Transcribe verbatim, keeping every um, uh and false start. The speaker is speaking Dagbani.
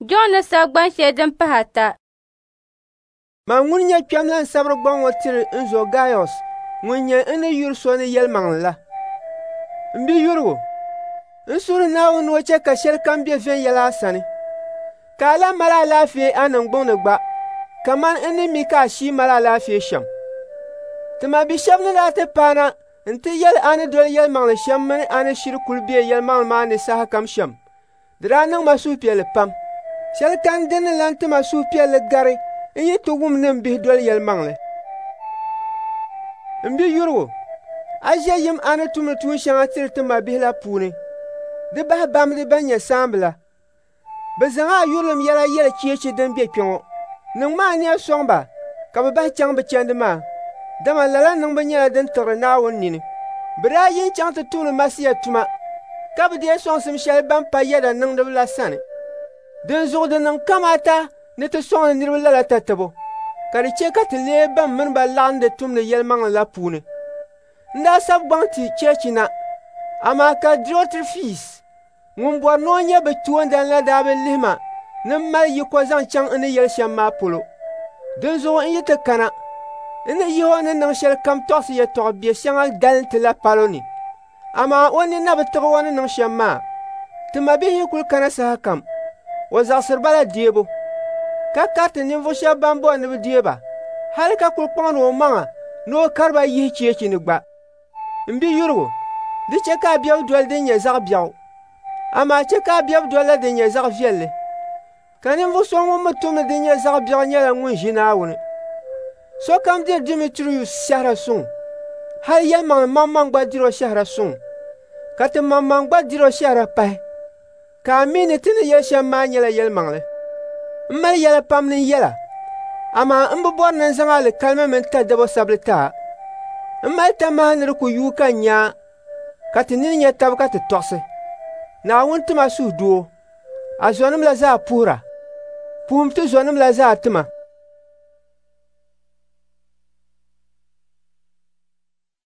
Jɔn ni sabi gban shɛli din pahi ata. Man ŋun nyɛ kpɛm la n-sabiri gbaŋ ŋɔ tiri n zo Gaius ŋun nyɛ n ni yuri so ni yɛlimaŋli la. M biyurigu, n suhiri Naawuni ni o chɛ ka shɛlikam be viɛnyɛla a sani, ka a lan mali alaafee a niŋgbuŋ ni gba kaman n ni mi ka a shii mali alaafee shɛm. Ti mabi shɛba ni daa ti paana nti yɛli a ni doli yɛlimaŋli shɛm mini a ni shiri kul be yɛlimaŋli maa ni sahakam shɛm, di daa niŋ ma suhupiɛlli pam. Shɛli kani din ni lan ti ma suhupiɛlli gari n yi ti wum ni m bihi doli yɛlimaŋli. M biyurigu, a ʒe yim a ni tumdi tuun shɛŋa tiri ti mabihi la puuni, di bahi bamdi bɛn nyɛ saamba la. Bɛ zaŋ a yurilim yɛla yɛli cheechi din be kpe ŋɔ. Niŋmi ania sɔŋ ba ka bɛ bahi chaŋ bɛ chandi maa, dama lala niŋbu nyɛla din tiɣiri Naawuni nini. Bɛ daa yi n-chaŋ ti tumdi Masia tuma, ka bi deei sɔŋsim shɛli ban pa yɛda niŋdiba la sani. Dinzuɣu di niŋ kamaata ni ti sɔŋdi niriba lala tatabo, ka di chɛ ka ti leei ban mini ba laɣindi tumdi yɛlimaŋli la puuni. N daa sabi gbaŋ ti cheechi na, amaa ka Diotirifis ŋun bɔri ni o nyɛ bɛ toondan la daa bi lihi ma ni m mali yiko zaŋ chaŋ n ni yɛli shɛm maa polo. Dinzuɣu n yi ti kana, n ni yihi o ni niŋ shɛlikam tɔɣisi yɛtɔɣ biɛ shɛŋa dalinti la palo ni. Amaa o nini na bi tiɣi o ni niŋ shɛm maa. Ti mabihi yi kul kana sahakam, o zaɣisiri ba la deebu, ka kariti ninvuɣ shɛba ban bɔri ni bɛ deei ba, hal ka kul kpaŋdi omaŋa ni o kari ba yihi cheechi ni gba. M biyurigu, di chɛ ka a bebu doli din nyɛ zaɣ biɛɣu, amaa chɛ ka a bebu dolila din nyɛ zaɣ viɛlli. Ka ninvuɣ so ŋun mi tumdi din nyɛ zaɣ biɛɣu nyɛla ŋun ʒi Naawuni. Sokam diri Dimitrius shɛhira suŋ, hal yɛlimaŋli maŋmaŋ gba dir o shɛhira suŋ, ka ti maŋmaŋ gba dir o shɛhira pahi, ka a mi ni ti ni yɛli shɛm maa nyɛla yɛlimaŋli. M mali yɛla pam ni n yɛla, amaa m bi bɔri ni n zaŋ alikalimi mini tadabo sabili ti a. M mali tamaha ni di ku yuui ka n nya a, ka ti nini nya taba ka ti tɔɣisi. Naawuni ti ma suhudoo. A zɔnim la zaa puhira. Puhim ti zɔnim la zaa ti ma.